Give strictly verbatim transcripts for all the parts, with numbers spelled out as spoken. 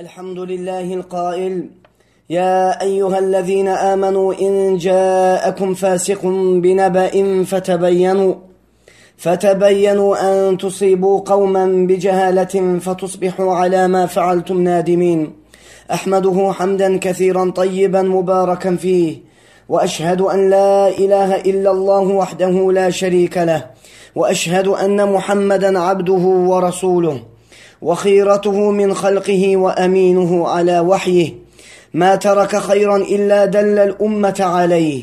الحمد لله القائل يا أيها الذين آمنوا إن جاءكم فاسق بنبأ فتبينوا فتبينوا أن تصيبوا قوما بجهالة فتصبحوا على ما فعلتم نادمين. أحمده حمدا كثيرا طيبا مباركا فيه، وأشهد أن لا إله إلا الله وحده لا شريك له، وأشهد أن محمدا عبده ورسوله وخيرته من خلقه وأمينه على وحيه، ما ترك خيرا إلا دل الأمة عليه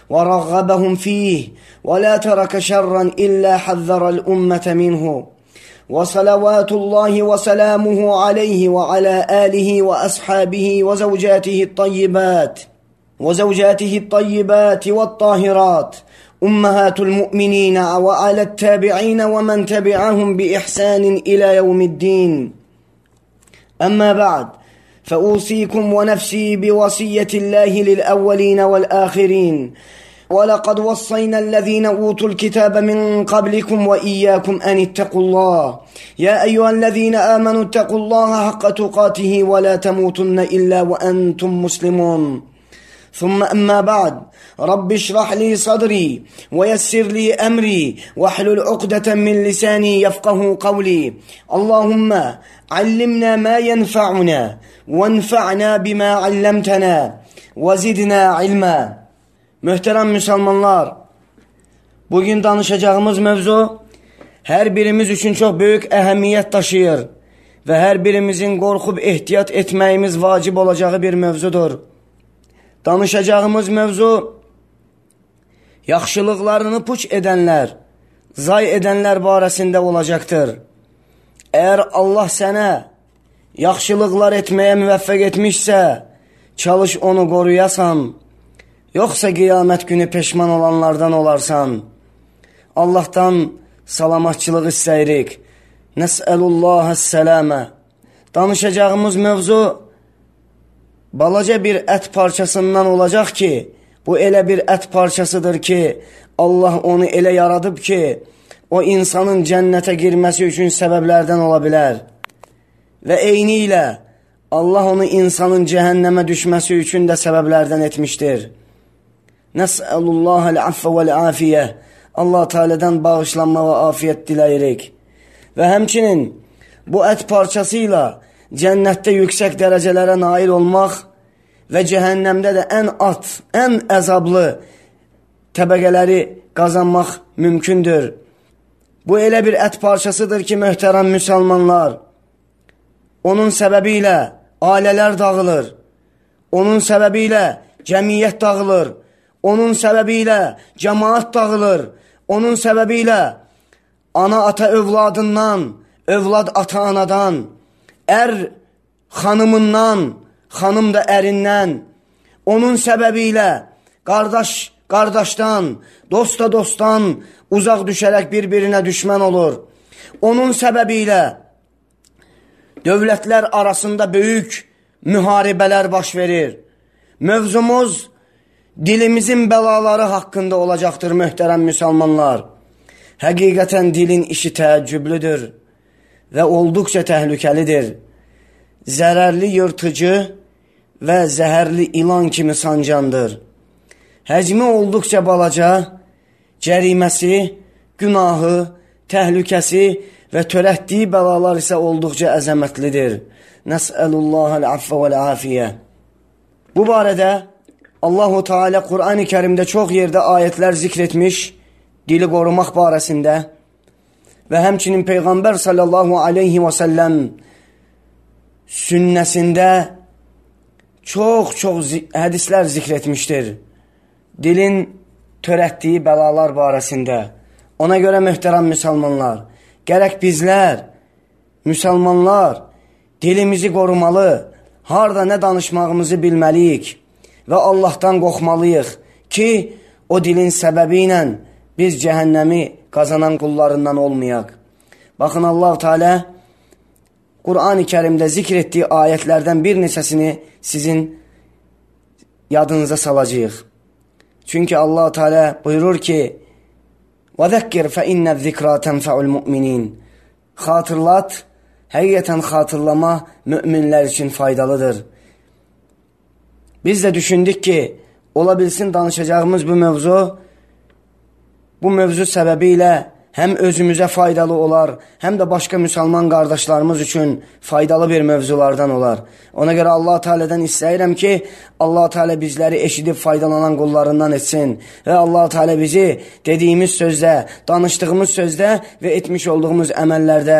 ورغبهم فيه، ولا ترك شرا إلا حذر الأمة منه. وصلوات الله وسلامه عليه وعلى آله وأصحابه وزوجاته الطيبات وزوجاته الطيبات والطاهرات أمهات المؤمنين، وعلى التابعين ومن تبعهم بإحسان إلى يوم الدين. أما بعد، فأوصيكم ونفسي بوصية الله للأولين والآخرين، ولقد وصينا الذين أوتوا الكتاب من قبلكم وإياكم أن اتقوا الله. يا أيها الذين آمنوا اتقوا الله حق تقاته ولا تموتن إلا وأنتم مسلمون. ثم أما بعد، رب اشرح لي صدري ويسر لي أمري واحلل عقدة من لساني يفقه قولي. اللهم علمنا ما ينفعنا وانفعنا بما علمتنا وزدنا علما. Möhtərəm müsəlmanlar, bugün danışacağımız mövzu hər birimiz üçün çox böyük əhəmiyyət daşıyır və hər birimizin qorxub ehtiyat etməyimiz vacib olacağı bir mövzudur. Danışacağımız mövzu yaxşılıqlarını puç edənlər, zay edənlər barəsində olacaqdır. Əgər Allah sənə yaxşılıqlar etməyə müvəffəq etmişsə, çalış onu qoruyasan, yoxsa qiyamət günü peşman olanlardan olarsan. Allahdan salamatçılıq istəyirik. Nəsəlullahəs-sələmə. Danışacağımız mövzu balaca bir ət parçasından olacaq ki, bu elə bir ət parçasıdır ki, Allah onu elə yaradıb ki, o insanın cənnətə girməsi üçün səbəblərdən ola bilər. Və eyni ilə Allah onu insanın cəhənnəmə düşməsi üçün də səbəblərdən etmişdir. Nəsəlullahəl-affə vəl-afiyyə. Allah Teala'dan bağışlanma və afiyət diləyirik. Və həmçinin bu ət parçası ilə cənnətdə yüksək dərəcələrə nail olmaq və cəhənnəmdə də ən at, ən əzablı təbəqələri qazanmaq mümkündür. Bu elə bir ət parçasıdır ki, möhtərəm müsəlmanlar, onun səbəbi ilə ailələr dağılır, onun səbəbi ilə cəmiyyət dağılır, onun səbəbi ilə cəmaat dağılır, onun səbəbi ilə ana ata övladından, övlad ata anadan, ər xanımından, xanım da ərindən, onun səbəbi ilə qardaş qardaşdan, dost da dostdan uzaq düşərək bir-birinə düşmən olur. Onun səbəbi ilə dövlətlər arasında böyük müharibələr baş verir. Mövzumuz dilimizin bəlaları haqqında olacaqdır, möhtərəm müsəlmanlar. Həqiqətən dilin işi təəccüblüdür və olduqca təhlükəlidir. Zərərli yırtıcı və zəhərli ilan kimi sancandır. Həcmi olduqca balaca, cəriməsi, günahı, təhlükəsi və törətdiyi bəlalar isə olduqca əzəmətlidir. Nəsəlullahəl-affə vəl-afiyyə. Bu barədə Allah-u Teala Qur'an-ı Kərimdə çox yerdə ayətlər zikr etmiş, dili qorumaq barəsində və həmçinin Peyğəmbər sallallahu aleyhi və səlləm sünnəsində çox-çox hədislər zikr etmişdir. Dilin törətdiyi bəlalar barəsində. Ona görə möhtərəm müsəlmanlar, gərək bizlər, müsəlmanlar dilimizi qorumalı, harda nə danışmağımızı bilməliyik və Allahdan qorxmalıyıq ki, o dilin səbəbi ilə biz cəhənnəmi qazanan qullarından olmayaq. Baxın, Allah Teala Qur'an-ı Kərimdə zikr etdiyi ayətlərdən bir neçəsini sizin yadınıza salacağıq. Çünki Allah Teala buyurur ki, وَذَكِّرْ فَإِنَّ الذِّكْرَى تَنْفَعُ الْمُؤْمِنِينَ. Xatırlat, həqiqətən xatırlama müminlər üçün faydalıdır. Biz də düşündük ki, ola bilsin danışacağımız bu mövzu, bu mövzu səbəbilə həm özümüzə faydalı olar, həm də başqa müsəlman qardaşlarımız üçün faydalı bir mövzulardan olar. Ona görə Allah Teala'dan istəyirəm ki, Allah Teala bizləri eşidib faydalanan qullarından etsin və Allah Teala bizi dediyimiz sözdə, danışdığımız sözdə və etmiş olduğumuz əməllərdə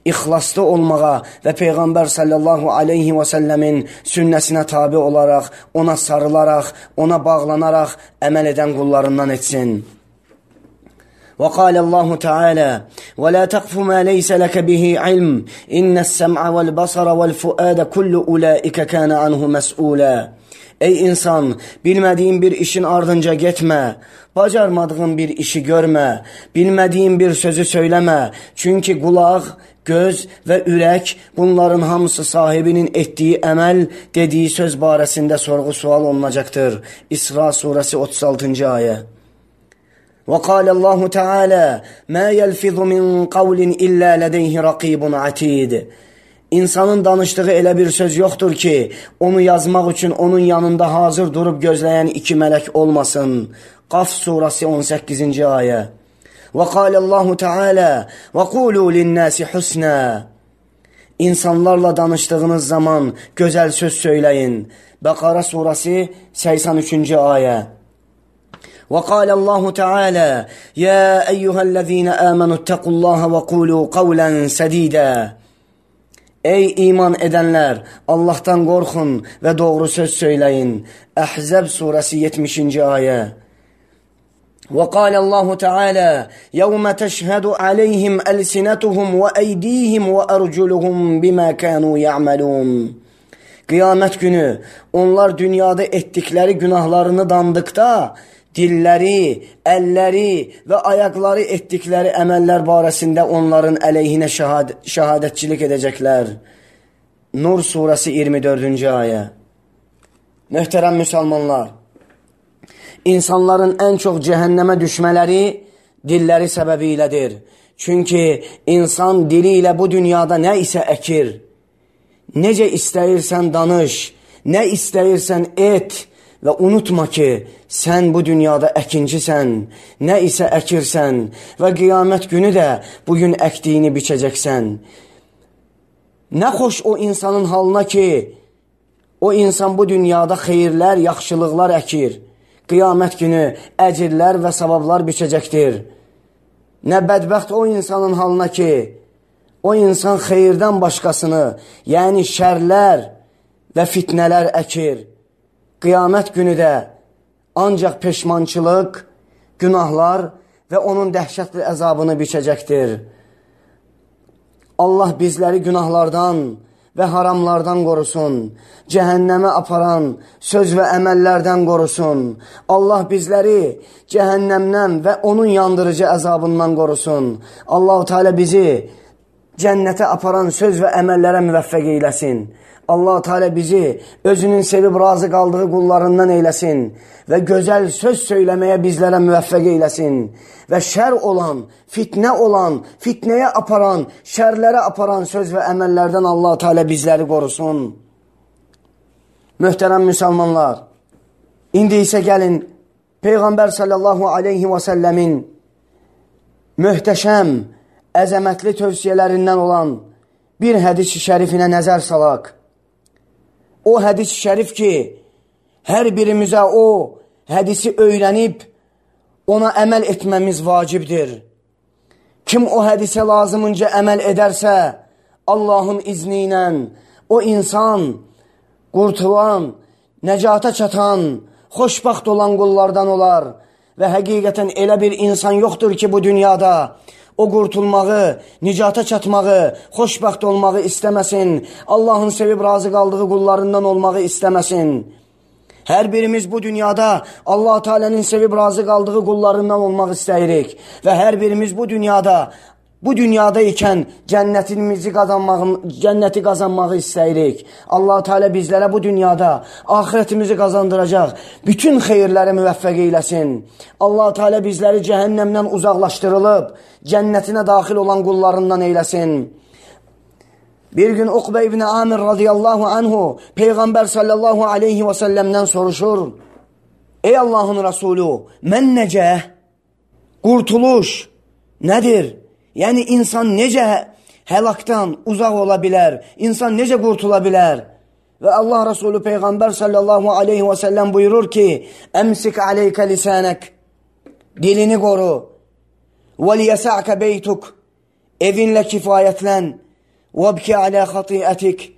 ixlaslı olmağa və Peyğəmbər sallallahu aleyhi və səlləmin sünnəsinə tabi olaraq, ona sarılaraq, ona bağlanaraq əməl edən qullarından etsin. وقال الله تعالى ولا تقف ما ليس لك به علم إن السمع والبصر والفؤاد كل أولئك كان عنه مسؤولا. Ey insan, bilmədiyin bir işin ardınca getmə, bacarmadığın bir işi görmə, bilmədiyin bir sözü söyləmə. Çünki qulaq, göz və ürək bunların hamısı sahibinin etdiyi əməl, dediyi söz barəsində sorğu-sual olunacaqdır. İsra surəsi otuz altıncı ayə. وقال الله تعالى ما يلفظ من قول إلا لديه رقيب عتيد. İnsanın danışdığı elə bir söz yoxdur ki, onu yazmaq üçün onun yanında hazır durub gözləyən iki mələk olmasın. Qaf surəsi on səkkizinci ayə. وقال الله تعالى وقولوا للناس حسنا. İnsanlarla danışdığınız zaman gözəl söz söyləyin. Bəqara surəsi səksən üçüncü ayə. وقال الله تعالى يا أيها الذين آمنوا اتقوا الله وقولوا قولا سديدا. Ey iman edənlər, Allahdan qorxun və doğru söz söyləyin. Əhzəb surəsi yetmişinci ayə. وقال الله تعالى يوم تشهد عليهم ألسنتهم وأيديهم وأرجلهم بما كانوا يعملون. Qiyamət günü onlar dünyada etdikləri günahlarını dandıqda, dilləri, əlləri və ayaqları etdikləri əməllər barəsində onların əleyhinə şəhad şəhadətçilik edəcəklər. Nur surəsi iyirmi dördüncü ayə. Möhtərəm müsəlmanlar, insanların ən çox cəhənnəmə düşmələri dilləri səbəbi ilədir. Çünki insan dili ilə bu dünyada nə isə əkir. Necə istəyirsən danış, nə istəyirsən et. Və unutma ki, sən bu dünyada əkincisən, nə isə əkirsən və qiyamət günü də bugün əkdiyini biçəcəksən. Nə xoş o insanın halına ki, o insan bu dünyada xeyirlər, yaxşılıqlar əkir. Qiyamət günü əcirlər və savablar biçəcəkdir. Nə bədbəxt o insanın halına ki, o insan xeyirdən başqasını, yəni şərlər və fitnələr əkir. Qiyamət günü də ancaq peşmançılıq, günahlar və onun dəhşətli əzabını biçəcəkdir. Allah bizləri günahlardan və haramlardan qorusun, cəhənnəmə aparan söz və əməllərdən qorusun. Allah bizləri cəhənnəmdən və onun yandırıcı əzabından qorusun. Allah-u Teala bizi cənnətə aparan söz və əməllərə müvəffəq eyləsin. Allah Teala bizi özünün sevib razı qaldığı qullarından eyləsin və gözəl söz söyləməyə bizlərə müvəffəq eyləsin və şər olan, fitnə olan, fitnəyə aparan, şərlərə aparan söz və əməllərdən Allah Teala bizləri qorusun. Möhtərəm müsəlmanlar, indi isə gəlin Peyğəmbər sallallahu aleyhi və səlləmin möhtəşəm, əzəmətli tövsiyələrindən olan bir hədis-i şərifinə nəzər salaq. O hədis şərif ki, hər birimizə o hədisi öyrənib, ona əməl etməmiz vacibdir. Kim o hədisə lazımınca əməl edərsə, Allahın izni ilə o insan qurtulan, nəcata çatan, xoşbaxt olan qullardan olar və həqiqətən elə bir insan yoxdur ki, bu dünyada o qurtulmağı, nicata çatmağı, xoşbaxt olmağı istəməsin, Allahın sevib razı qaldığı qullarından olmağı istəməsin. Hər birimiz bu dünyada Allah Teala'nın sevib razı qaldığı qullarından olmaq istəyirik və hər birimiz bu dünyada Bu dünyada ikən cənnətimizi qazanmağı, cənnəti qazanmağı istəyirik. Allah Teala bizlərə bu dünyada axirətimizi qazandıracaq bütün xeyirləri müvəffəq eyləsin. Allah Teala bizləri cəhənnəmdən uzaqlaşdırılıb cənnətinə daxil olan qullarından eyləsin. Bir gün Ukbe ibn Amir radıyallahu anhu Peygamber sallallahu aleyhi ve sellem'den soruşur. Ey Allah'ın Resulü, men neceh? Kurtuluş nedir? Yani insan necə helaktan uzak olabilir? İnsan necə kurtulabilir? Ve Allah Resulü Peygamber sallallahu aleyhi ve sellem buyurur ki, emsik aleyke lisanek, dilini koru. Ve liyesa'ke beytuk, evinle kifayetlen. Vebki ala hatiyetik,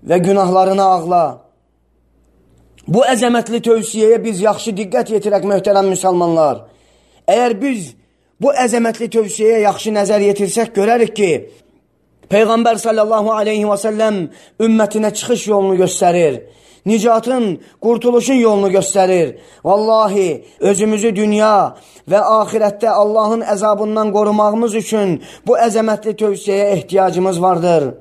ve günahlarına ağla. Bu əzəmətli tövsiyeye biz yaxşı diqqət yetirək möhtərəm müsəlmanlar. Eğer biz bu əzəmətli tövsiyeye yaxşı nəzər yetirsək, görərik ki, Peygamber sallallahu aleyhi ve sellem ümmetine çıkış yolunu gösterir. Nicatın, kurtuluşun yolunu gösterir. Vallahi özümüzü dünya ve ahirette Allah'ın əzabından korumağımız için bu əzəmətli tövsiyeye ihtiyacımız vardır.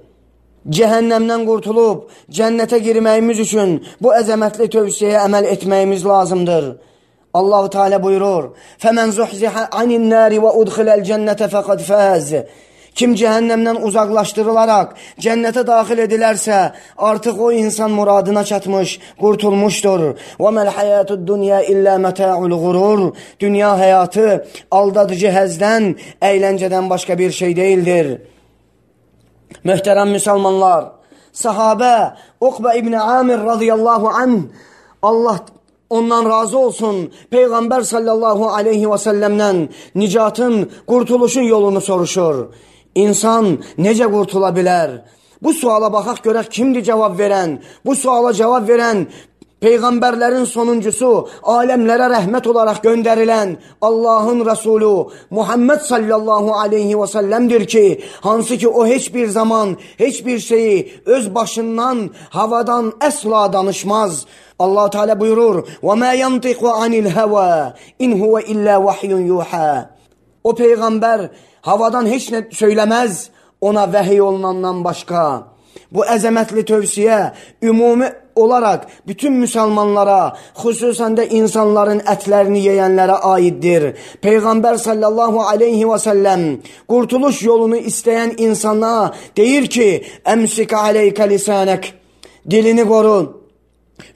Cehennemden kurtulup cennete girməyimiz için bu əzəmətli tövsiyeye əməl etməyimiz lazımdır. Allah-u Teala buyurur: "Femen zuhziha anin nari ve udkhilal cennete faqad faz." Kim cehennemden uzaklaştırılarak cennete dahil edilerse artık o insan muradına çatmış, kurtulmuştur. وَمَا الْحَيَاتُ الدُّنْيَا اِلَّا مَتَاعُ الْغُرُورِ Dünya hayatı aldatıcı hezden, eğlenceden başka bir şey değildir. Möhtərəm Müslümanlar, sahabe Ukbe ibn Amir radıyallahu anh, Allah ondan razı olsun, Peygamber sallallahu aleyhi ve sellem'den nicatın, kurtuluşun yolunu soruşur. İnsan necə kurtulabilir? Bu suala baxaq görək kimdir cevap veren? Bu suala cevap veren peygamberlerin sonuncusu, alemlere rahmet olarak gönderilen Allah'ın Resulü Muhammed sallallahu aleyhi ve sellem'dir ki, hansı ki o hiçbir zaman hiçbir şeyi öz başından, havadan asla danışmaz. Allah Teala buyurur: وَمَا يَنْطِقُ عَنِ الْهَوَى اِنْ هُوَ اِلَّا وَحْيٌ يُوحَى O peygamber havadan hiç ne söylemez, ona vahiy olunandan başka. Bu əzəmətli tövsiye ümumi olarak bütün Müslümanlara, xüsusən də insanların ətlərini yeyənlərə aiddir. Peygamber sallallahu aleyhi ve sellem kurtuluş yolunu isteyen insana deyir ki, emsik aleyke lisanek, dilini koru.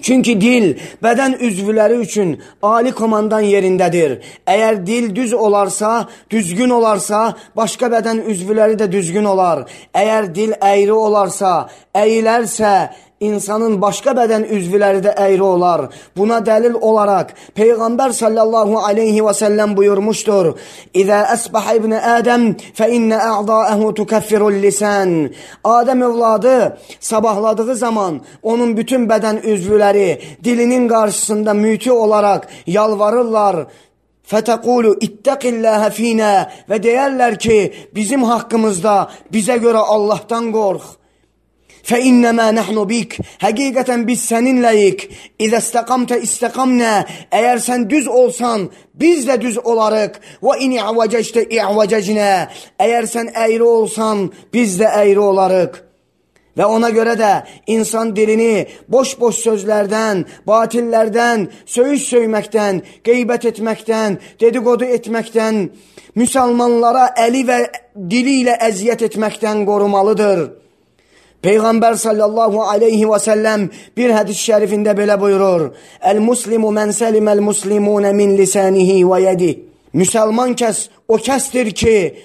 Çünkü dil beden üzvləri üçün ali komandan yerindedir. Eğer dil düz olarsa, düzgün olarsa, başka beden üzvləri de düzgün olar. Eğer dil eğri olarsa, eğilərsə, insanın başka beden üzvləri de eğri olar. Buna delil olarak Peygamber sallallahu aleyhi ve sellem buyurmuştur: İza asbaha ibn Adem fe inne a'da'ahu tukaffiru'l lisan. Adem evladı sabahladığı zaman onun bütün beden üzvləri dilinin karşısında müti olarak yalvarırlar. Fetekulu ittaqillaha fina ve deyərlər ki, bizim hakkımızda bize göre Allah'tan kork. فَاِنَّمَا نَحْنُ بِكْ Hakikaten biz seninleyik. اِذَا اسْتَقَمْتَ اِسْتَقَمْنَا Eğer sen düz olsan biz de düz olarık. وَاِنْ اِعْوَجَجْتَ اِعْوَجَجْنَا Eğer sen eğri olsan biz de eğri olarık. Ve ona göre de insan dilini boş boş sözlerden, batillerden, söğüş söymekten, gıybet etmekten, dedikodu etmekten, Müslümanlara eli ve diliyle eziyet etmekten korumalıdır. Peygamber sallallahu aleyhi ve sellem bir hadis-i şerifinde belə buyurur: El-muslimu men selimel muslimune min lisanihi ve yedi. Müslüman kes o kestir ki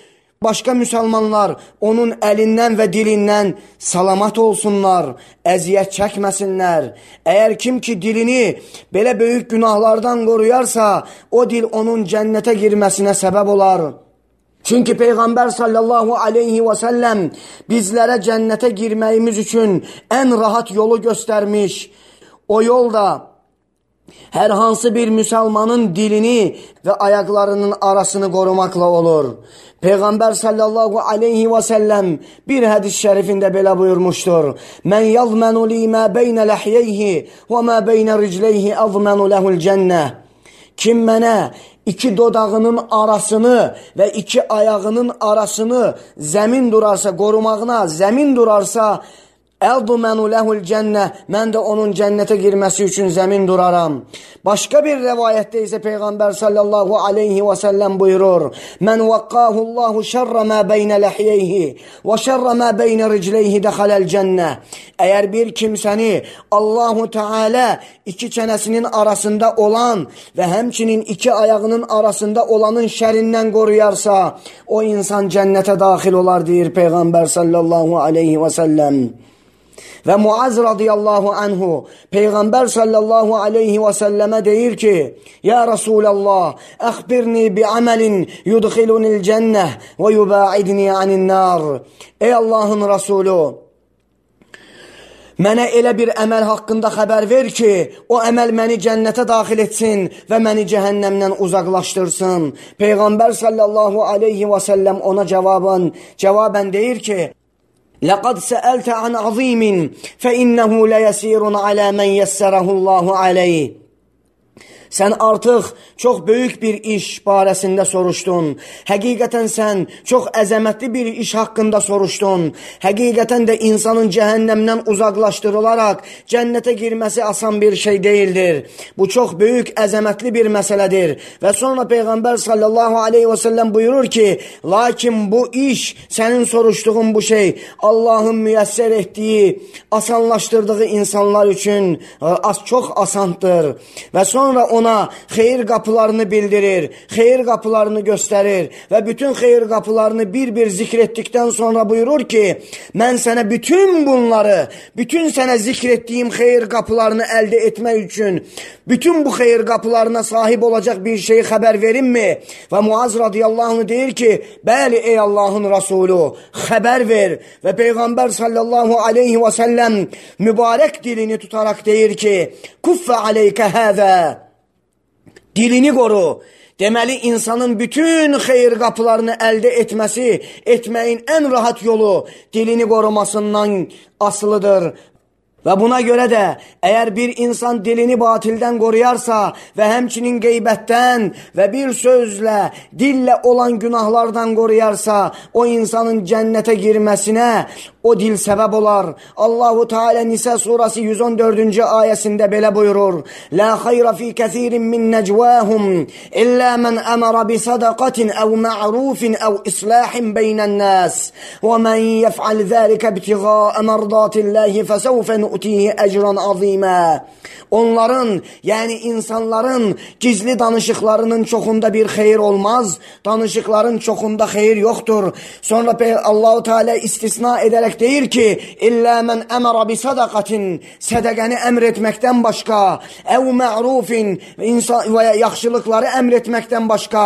başka Müslümanlar onun elinden ve dilinden salamat olsunlar, eziyet çekmesinler. Eğer kim ki dilini belə büyük günahlardan koruyarsa o dil onun cennete girmesine sebep olar. Çünkü Peygamber sallallahu aleyhi ve sellem bizlere cennete girməyimiz için en rahat yolu göstermiş. O yolda her hansı bir Müslümanın dilini ve ayaklarının arasını korumakla olur. Peygamber sallallahu aleyhi ve sellem bir hadis-i şerifinde belə buyurmuştur: Men yazmenu li ma beyne lahyeyhi ve ma beyne ricleyhi azmenu lehul cenneh. Kim mənə iki dodağının arasını ve iki ayağının arasını zemin durarsa, korumağına zemin durarsa, Əldumenu lehul cənnə, mən də onun cənnətə girməsi üçün zəmin duraram. Başqa bir rəvayətdə isə Peyğəmbər sallallahu aleyhi və səlləm buyurur: Mən vaqqahullahu şərrə mə beynə ləhiyyəyhi və şərrə mə beynə ricləyhi dəxaləl cənnə. Əgər bir kimsəni Allahu Teala iki çənəsinin arasında olan və həmçinin iki ayağının arasında olanın şərindən qoruyarsa, o insan cənnətə daxil olar, deyir Peyğəmbər sallallahu aleyhi və səlləm. Və Muaz radiyallahu anhu Peyğəmbər sallallahu aleyhi və səlləmə deyir ki: Ya Rasulallah, əxbirni bi amelin yudxilunil cənnə və yubaidni anin nar. Ey Allahın Rasulü, mənə elə bir əməl haqqında xəbər ver ki, o əməl məni cənnətə daxil etsin və məni cəhənnəmdən uzaqlaşdırsın. Peyğəmbər sallallahu aleyhi və səlləm ona cavabən, cavabən deyir ki: لَقَدْ سَأَلْتَ عَنْ عَظِيمٍ فَإِنَّهُ لَيَسِيرٌ عَلَى مَنْ يَسَّرَهُ اللّٰهُ عَلَيْهِ. Sən artıq çox böyük bir iş barəsində soruşdun. Həqiqətən sən çox əzəmətli bir iş haqqında soruşdun. Həqiqətən də insanın cəhənnəmdən uzaqlaşdırılaraq cənnətə girməsi asan bir şey deyildir. Bu çox böyük, əzəmətli bir məsələdir. Və sonra Peyğəmbər sallallahu aleyhi və səlləm buyurur ki, lakin bu iş, sənin soruşduğun bu şey Allahın müyəssər etdiyi, asanlaşdırdığı insanlar üçün az çox asandır. Və sonra ona xeyir qapılarını bildirir, xeyir qapılarını göstərir və bütün xeyir qapılarını bir-bir zikr etdikdən sonra buyurur ki, mən sənə bütün bunları, bütün sənə zikr etdiyim xeyir qapılarını əldə etmək üçün, bütün bu xeyir qapılarına sahib olacaq bir şey xəbər verimmi? Və Muaz radiyallahu anh deyir ki, bəli ey Allahın Rasulü, xəbər ver. Və Peyğəmbər sallallahu aleyhi və səlləm mübarək dilini tutaraq deyir ki, kuffə aleykə həzə. Dilini qoru. Deməli, insanın bütün xeyir qapılarını əldə etməsi, etməyin ən rahat yolu dilini qorumasından asılıdır. Və buna görə də, əgər bir insan dilini batildən qoruyarsa və həmçinin qeybətdən və bir sözlə, dillə olan günahlardan qoruyarsa, o insanın cənnətə girməsinə o dil səbəb olar. Allahu Teala Nisa surası yüz on dördüncü ayəsində belə buyurur: La xayra fi kəsirin min nəcvahum illə mən əmərə bi sadaqatin əv ma'rufin əv islahin beynən nəs və mən yəf'al zəlikə ibtiğaə mərdatilləhi fəsəvfə nu'tihi əcran azimə. Onların, yəni insanların gizli danışıqlarının çoxunda bir xeyir olmaz, danışıqların çoxunda xeyir yoxdur. Sonra Allah-u Teala istisna edərək deyir ki, illə mən əmərə bi sadaqatin, sədəqəni əmr etməkdən başqa, əv ma'rufin, və yaxşılıqları əmr etməkdən başqa,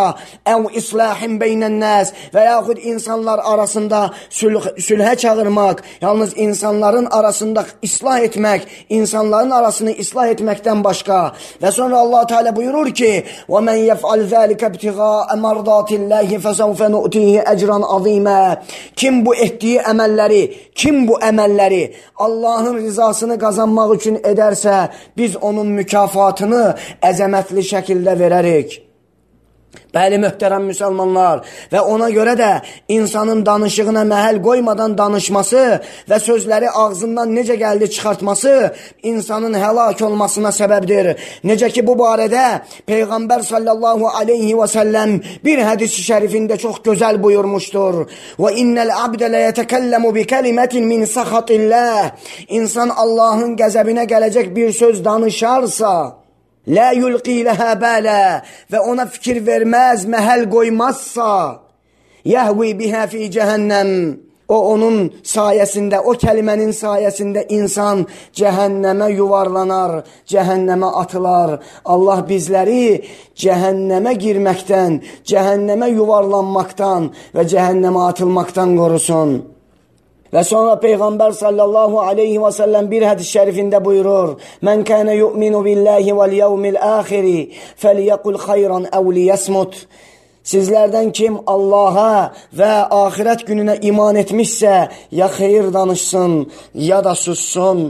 əv islahin beynən nəs, və yaxud insanlar arasında sülh, sülhə çağırmaq, yalnız insanların arasında islah etmək, insanların arasını islah etməkdən başqa. Və sonra Allah Teala buyurur ki, وَمَنْ يَفْعَلْ ذَٰلِكَ ابْتِغَاءَ مَرْضَاتِ اللّٰهِ فَسَوْفَ نُؤْتِهِ اَجْرًا عَظِيمًا. Kim bu etdiyi əməlləri, kim bu əməlləri Allahın rizasını qazanmaq üçün edərsə, biz onun mükafatını əzəmətli şəkildə verərik. Bəli, möhtərəm müsəlmanlar, və ona görə də insanın danışığına məhəl qoymadan danışması və sözləri ağzından necə gəldi çıxartması insanın həlak olmasına səbəbdir. Necə ki, bu barədə Peyğəmbər sallallahu aleyhi və səlləm bir hədis-i şərifində çox gözəl buyurmuşdur. Və innəl abdə lə yətəkəlləmu bi kəlimətin min səxatilləh. İnsan Allahın qəzəbinə gələcək bir söz danışarsa, La yulqi ləhə bələ, və ona fikir verməz, məhəl qoymazsa, yəhvi bihə fi cəhənnəm, o onun sayəsində, o kəlimənin sayəsində insan cəhənnəmə yuvarlanar, cəhənnəmə atılar. Allah bizləri cəhənnəmə girməkdən, cəhənnəmə yuvarlanmaqdan və cəhənnəmə atılmaqdan qorusun. Və sonra Peyğəmbər sallallahu aleyhi və səlləm bir hədis şərifində buyurur: Mən kənə yu'minu billahi vəl yevmil əxiri fəliyəqul xayran əv liyəsmut. Sizlərdən kim Allaha və axirət gününə iman etmişsə, ya xeyir danışsın, ya da sussun.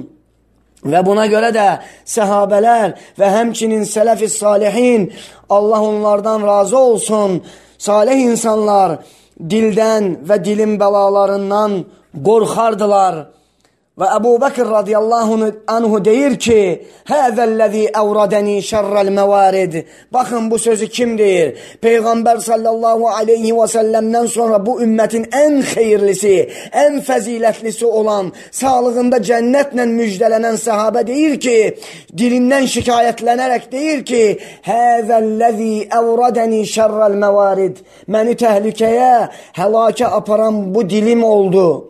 Və buna görə də səhabələr və həmçinin sələf-i salihin, Allah onlardan razı olsun, salih insanlar dildən və dilin bəlalarından qorxardılar. Ve Ebu Bekir radıyallahu anhu deyir ki, "Hâzellezî evradeni şerrel mevarid." Bakın bu sözü kim deyir? Peygamber sallallahu aleyhi ve sellem'den sonra bu ümmetin en hayırlısı, en faziletlisi olan, sağlığında cennetle müjdelenen sahabe deyir ki, dilinden şikayetlenerek deyir ki, "Hâzellezî evradeni şerrel mevarid." Məni tehlikeye, helake aparan bu dilim oldu.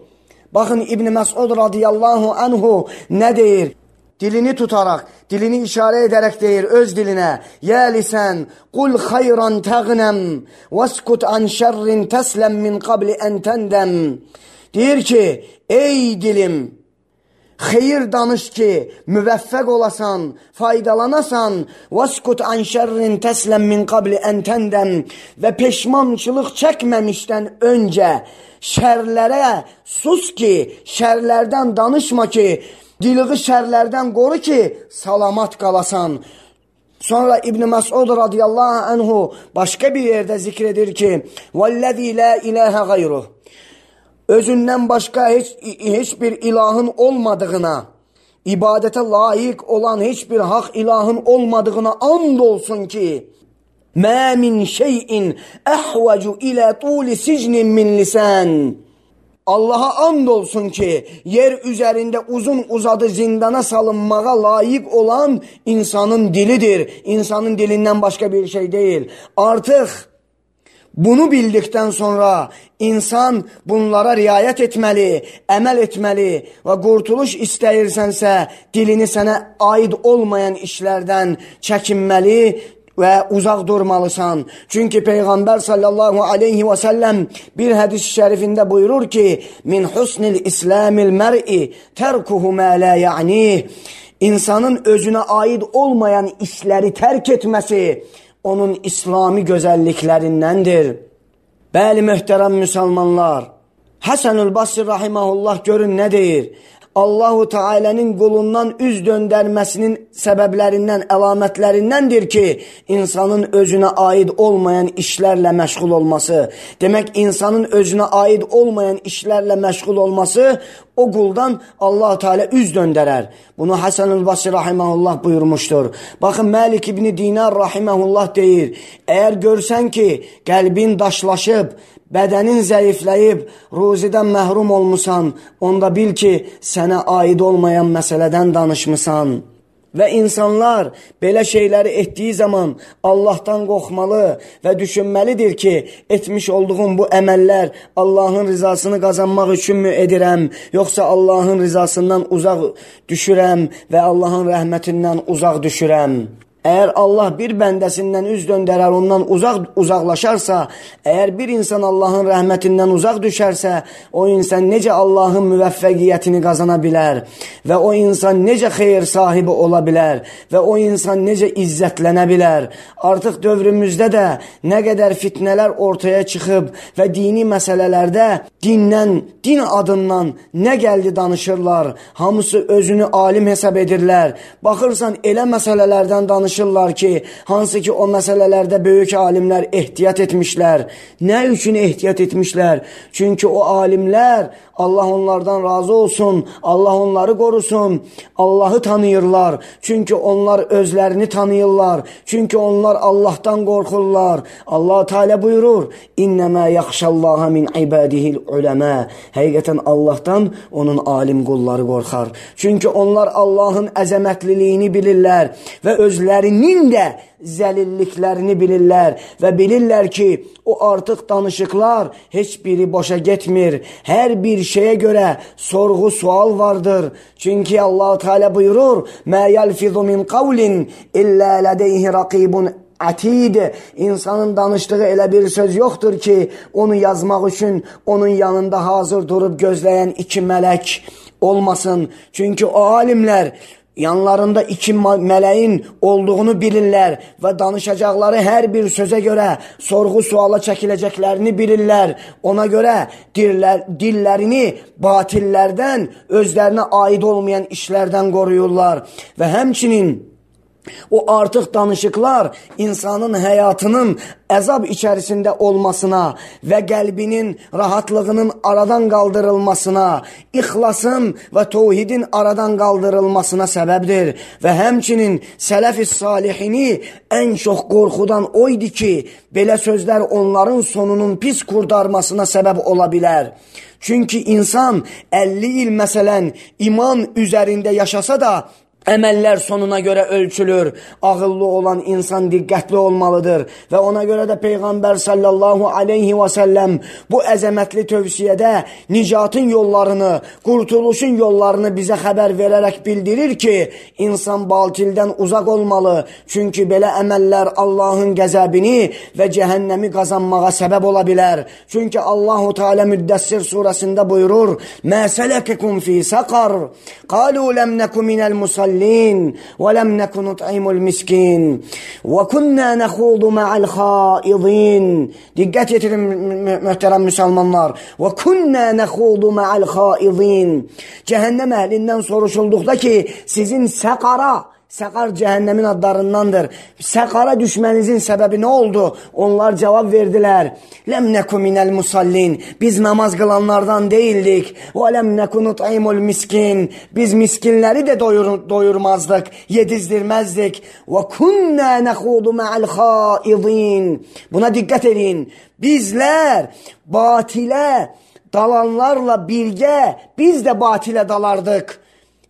Bakın İbn Mesud radıyallahu anhu ne deyir? Dilini tutarak, dilini işaret ederek deyir öz diline. Ya lisan, kul hayran teğnem, veskut an şerrin teslem min qabli en tendem. Deyir ki, ey dilim, hayır danış ki müveffek olasan, faydalanasan, veskut an şerrin teslem min qabli en tendem, ve peşmançılık çekmemişten önce şerlere sus ki, şerlerden danışma ki, diliği şerlerden koru ki salamat kalasan. Sonra İbn Mesud radıyallahu anhu başka bir yerde zikredir ki, "Vellezî la ilahe gayruh." Özünden başka hiç, hiçbir ilahın olmadığına, ibadete layık olan hiçbir hak ilahın olmadığına andolsun ki, "Mâ min şeyin ehvecu ile tûli sicnin min lisan." Allah'a andolsun ki yer üzerinde uzun uzadı zindana salınmağa layık olan insanın dilidir. İnsanın dilinden başka bir şey değil. Artık bunu bildikten sonra insan bunlara riayet etmeli, emel etmeli ve kurtuluş istəyirsense dilini sana ait olmayan işlerden çekinmeli ve uzak durmalısan. Çünkü Peygamber sallallahu aleyhi ve sellem bir hadis-i şerifinde buyurur ki, "Min husnil islamil mer'i terkuhu ma la ya'nih." İnsanın özüne ait olmayan işleri terk etmesi onun İslami güzelliklerindendir. Bəli mühterem Müslümanlar, Hasanul Basri rahimahullah görün ne deyir? Allahu Teala'nın kulundan üz döndürmesinin sebeplerinden, alametlerindendir ki insanın özüne ait olmayan işlerle meşgul olması. Demek insanın özüne ait olmayan işlerle meşgul olması o kuldan Allah Teala üz döndürer. Bunu Hasanul Basri rahimahullah buyurmuştur. Bakın Malik İbni Dinar rahimahullah deyir, eğer görsen ki kalbin daşlaşıp, bədenin zəifləyib, ruzidən məhrum olmusan, onda bil ki, sənə aid olmayan məsələdən danışmısan. Və insanlar belə şeyləri etdiyi zaman Allahdan qorxmalı və düşünməlidir ki, etmiş olduğum bu əməllər Allahın rizasını qazanmaq üçünmü edirəm, yoxsa Allahın rizasından uzaq düşürəm və Allahın rəhmətindən uzaq düşürəm. Eğer Allah bir bəndəsindən üz döndərər, ondan uzaq uzaqlaşarsa, eğer bir insan Allahın rəhmətindən uzaq düşərsə, o insan necə Allahın müvəffəqiyyətini qazana bilər və o insan necə xeyir sahibi ola bilər və o insan necə izzətlənə bilər. Artıq dövrümüzdə də nə qədər fitnələr ortaya çıxıb və dini məsələlərdə dindən, din adından nə gəldi danışırlar. Hamısı özünü alim hesab edirlər. Baxırsan elə məsələlərdən danışırlar ki, hansı ki o məsələlərdə böyük alimlər ehtiyat etmişlər. Nə üçün ehtiyat etmişlər? Çünki o alimlər, Allah onlardan razı olsun, Allah onları qorusun, Allahı tanıyırlar. Çünki onlar özlərini tanıyırlar. Çünki onlar Allahdan qorxurlar. Allah Teala buyurur, İnnəmə yaxşallaha min ibadihil uləmə. Həqiqətən Allahdan onun alim qulları qorxar. Çünki onlar Allahın əzəmətliliyini bilirlər və özlərinin də zəlilliklərini bilirlər və bilirlər ki, o artıq danışıqlar heç biri boşa getmir. Hər bir şeyə görə sorğu sual vardır. Çünki Allah Teala buyurur, "Mə yelfizu min qavlin illə ladeyhi raqibun atid." İnsanın danışdığı elə bir söz yoxdur ki, onu yazmaq üçün onun yanında hazır durub gözləyən iki mələk olmasın. Çünki o alimlər yanlarında iki mələyin olduğunu bilirlər və danışacaqları hər bir sözə görə sorğu suala çəkiləcəklərini bilirlər. Ona görə dillər, dillərini batillərdən, özlərinə aid olmayan işlərdən qoruyurlar və həmçinin O artıq danışıqlar insanın həyatının əzab içərisində olmasına və qəlbinin rahatlığının aradan qaldırılmasına, ixlasın və təvhidin aradan qaldırılmasına səbəbdir. Və həmçinin sələf-i salihini ən çox qorxudan o idi ki, belə sözlər onların sonunun pis qurtarmasına səbəb ola bilər. Çünki insan əlli il məsələn iman üzərində yaşasa da, əməllər sonuna görə ölçülür. Ağıllı olan insan diqqətli olmalıdır və ona görə də Peyğəmbər sallallahu aleyhi və səlləm bu əzəmətli tövsiyədə nicatın yollarını, qurtuluşun yollarını bizə xəbər verərək bildirir ki, insan batildən uzaq olmalı. Çünki belə əməllər Allahın qəzəbini və cəhənnəmi qazanmağa səbəb ola bilər. Çünki Allahu Teala Müddəssir surəsində buyurur: "Mə sələkekum fi saqar? Qalu lem neku minel musallin وَلَمْ نَكُنْ نُطْعِمُ الْمِسْكِينَ وَكُنَّا نَخُوضُ مَعَ الْخَائِضِينَ." Diqqət yetirin möhtərəm müsəlmanlar. وَكُنَّا نَخُوضُ مَعَ الْخَائِضِينَ. Cəhənnəm əhlindən soruşulduqda ki, sizin səqara, səqar cəhənnəmin adlarındandır, səqara düşmənizin səbəbi nə oldu? Onlar cavab verdilər: "Lem neku minel musallin." Biz namaz qılanlardan değildik. "Və lem neku nut'imul miskin." Biz miskinləri də doyur, doyurmazdıq, yedizdirməzdik. "Və kunna nakhudu ma'al khaidin." Buna diqqət edin. Bizlər batilə dalanlarla birgə biz də batilə dalardıq.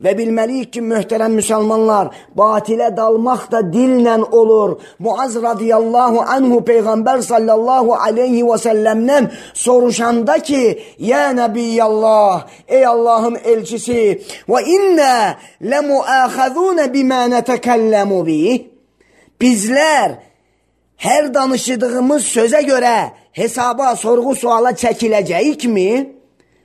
Və bilməliyik ki, möhtərəm müsəlmanlar, batilə dalmaq da dillə olur. Muaz radiyallahu anhu Peyğəmbər sallallahu aleyhi və səlləmdən soruşanda ki, "Ya Nəbiyyallah, ey Allahın elçisi, və innə ləmuəxəzunə bimə nətəkəlləmu bih." Bizlər hər danışdığımız sözə görə hesaba, sorğu suala çəkiləcəyikmi?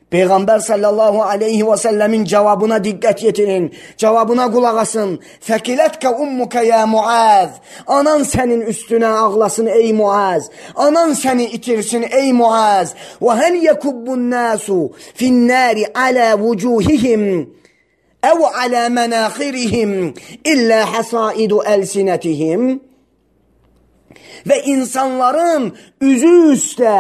Peyğəmbər sallallahu aleyhi və səlləmin cavabına diqqət yetirin, cavabına qulaq asın. "Fəkilətkə ummuka ya Muaz." Anan sənin üstünə ağlasın ey Muaz. Anan səni itirsin ey Muaz. "Və həl yekubbun nasu finnari ala vucuhihim əv ala mənaxirihim illə hasaidu əlsinətihim." Və insanların üzü üstə,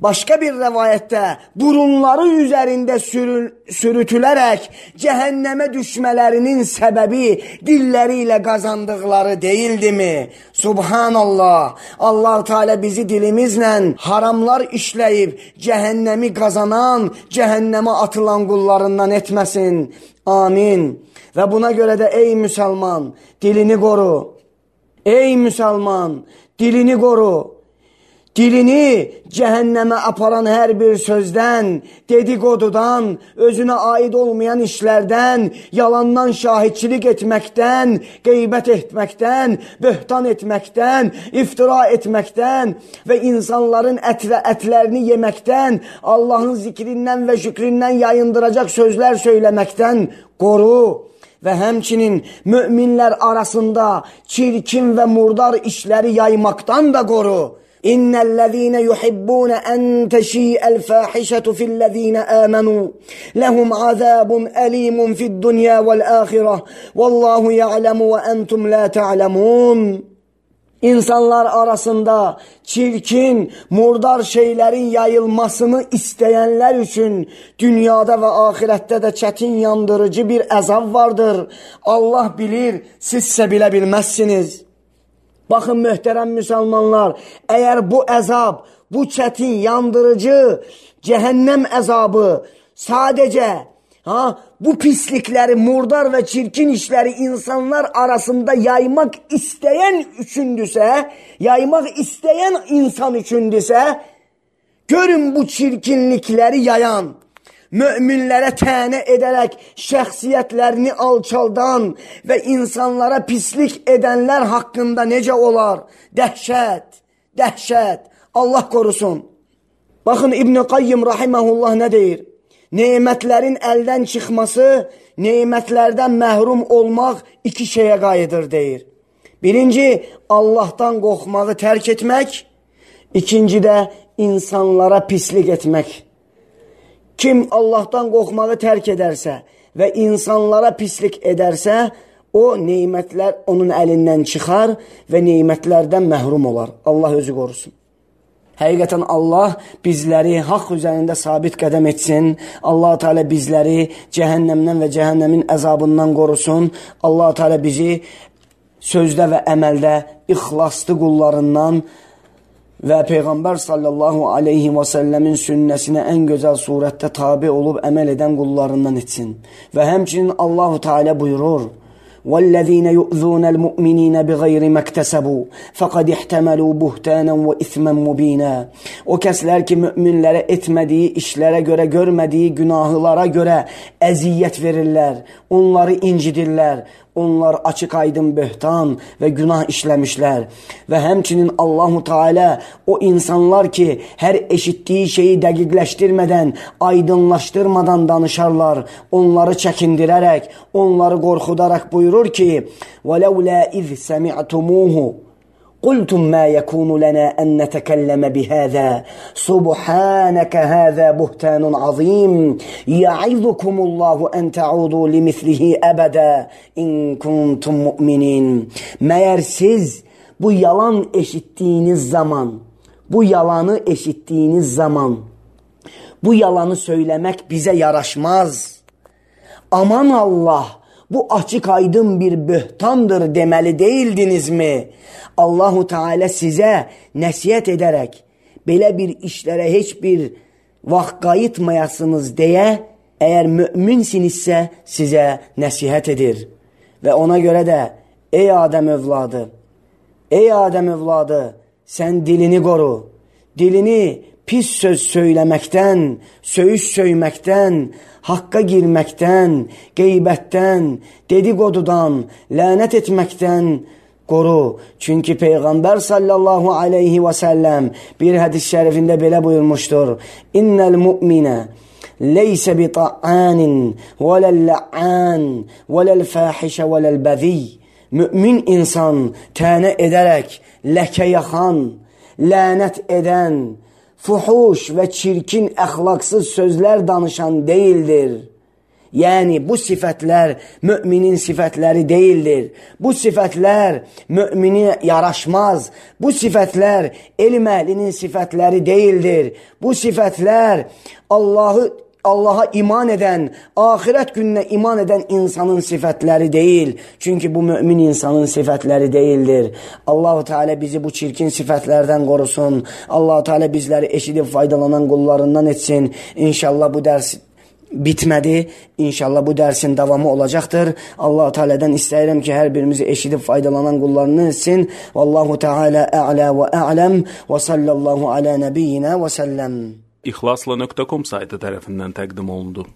başqa bir rəvayətdə burunları üzərində sürü, sürütülərək cəhənnəmə düşmələrinin səbəbi dilləri ilə qazandıqları deyildimi? Subhanallah! Allah Teala bizi dilimizlə haramlar işləyib cəhənnəmi qazanan, cəhənnəmə atılan qullarından etməsin. Amin. Və buna görə də ey müsəlman, dilini qoru. Ey müsəlman, dilini qoru. Dilini cəhənnəmə aparan hər bir sözdən, dedikodudan, özünə aid olmayan işlərdən, yalandan şahidçilik etməkdən, qeybət etməkdən, böhtan etməkdən, iftira etməkdən və insanların ətlə, ətlərini yeməkdən, Allahın zikrindən və şükrindən yayındıracaq sözlər söyləməkdən qoru. Və həmçinin möminlər arasında çirkin və murdar işləri yaymaqdan da qoru. İnnellezîne yuhibbûne en teşî'el fâhişetu fillezîne âmenû lehum azâbun elîmun fid-dunyâ vel-âhireh vallâhu ya'lemu ve entum lâ ta'lemûn. İnsanlar arasında çirkin, murdar şeylərin yayılmasını istəyənlər üçün dünyada və ahirətdə də çətin yandırıcı bir əzab vardır. Allah bilir, sizsə bilə bilməzsiniz. Baxın möhtərəm müsəlmanlar, əgər bu əzab, bu çətin, yandırıcı, cəhənnəm əzabı sadəcə ha, bu pislikləri, murdar və çirkin işləri insanlar arasında yaymaq istəyən üçündüsə, yaymaq istəyən insan üçündüsə, görün bu çirkinlikləri yayan, möminlərə tənə edərək şəxsiyyətlərini alçaldan və insanlara pislik edənlər haqqında necə olar? Dəhşət, dəhşət, Allah qorusun. Baxın İbn Qayyim rahiməhullah nə deyir? Nemətlərin əldən çıxması, nemətlərdən məhrum olmaq iki şeyə qayıdır deyir. Birinci, Allahdan qorxmağı tərk etmək, ikinci də insanlara pislik etmək. Kim Allahdan qorxmağı tərk edərsə və insanlara pislik edərsə, o neymətlər onun əlindən çıxar və neymətlərdən məhrum olar. Allah özü qorusun. Həqiqətən Allah bizləri haqq üzərində sabit qədəm etsin. Allah Teala bizləri cəhənnəmdən və cəhənnəmin əzabından qorusun. Allah Teala bizi sözdə və əməldə ixlaslı qullarından və Peyğəmbər sallallahu aleyhi və səlləmin sünnəsinə ən gözəl surətdə tabi olub əməl edən qullarından etsin. Və həmçinin Allah Teala buyurur: وَالَّذِينَ يُؤْذُونَ الْمُؤْمِنِينَ بِغَيْرِ مَا اكْتَسَبُوا فَقَدْ احْتَمَلُوا بُهْتَانًا وَإِثْمًا مُبِينًا. O kəslər ki, müminlərə etmədiyi işlərə görə, görmədiyi günahlara görə əziyyət verirlər, onları incidirlər. Onlar açıq aydın böhtan və günah işləmişlər. Və həmçinin Allahu Teala o insanlar ki, hər eşitdiyi şeyi dəqiqləşdirmədən, aydınlaşdırmadan danışarlar, onları çəkindirərək, onları qorxudaraq buyurur ki: وَلَوْلَا إِذْ سَمِعْتُمُوهُ قُلْتُمْ مَا يَكُونُ لَنَا أَنْ نَتَكَلَّمَ بِهَذَا سُبْحَانَكَ هَذَا بُهْتَانٌ عَظِيمٌ يَعِظُكُمُ اللَّهُ أَنْ تَعُودُوا لِمِثْلِهِ أَبَدًا إِنْ كُنْتُمْ مُؤْمِنِينَ. Məyər siz bu yalan eşittiğiniz zaman, bu yalanı eşittiğiniz zaman, bu yalanı söylemek bize yaraşmaz. Aman Allah, bu açık aydın bir böhtandır demeli değildiniz mi? Allahu Teala size nəsihət edərək, belə bir işlərə heç bir vaxt qayıtmayasınız deyə, əgər müminsinizsə sizə nəsihət edir. Və ona görə də, ey Adəm övladı, ey Adəm övladı, sən dilini qoru, dilini pis söz söyləməkdən, söyüş söyməkdən, haqqa girməkdən, qeybətdən, dedikodudan, lənət etməkdən qoru. Çünki Peyğəmbər sallallahu aleyhi və səlləm bir hədis şərifində belə buyurmuşdur: İnnəl mu'minə leysə bi ta'anin və ləl-lə'an və ləl-fəhişə və ləl-bəzi. Mümin insan tənə edərək, ləkə yaxan, lənət edən, fuhuş və çirkin əxlaqsız sözlər danışan deyildir. Yəni, bu sifətlər müminin sifətləri deyildir. Bu sifətlər müminə yaraşmaz. Bu sifətlər elm əhlinin sifətləri deyildir. Bu sifətlər Allahı Allaha iman edən, axirət gününə iman edən insanın sifətləri deyil. Çünki bu mümin insanın sifətləri deyildir. Allah-u Teala bizi bu çirkin sifətlərdən qorusun. Allah-u Teala bizləri eşidib faydalanan qullarından etsin. İnşallah bu dərs bitmədi. İnşallah bu dərsin davamı olacaqdır. Allah-u Teala'dan istəyirəm ki, hər birimizi eşidib faydalanan qullarından etsin. Vallahu Teala a'la və a'ləm və sallallahu ala nəbiyyina və səlləm. İxlasla nöqtə com saytı tərəfindən təqdim olundu.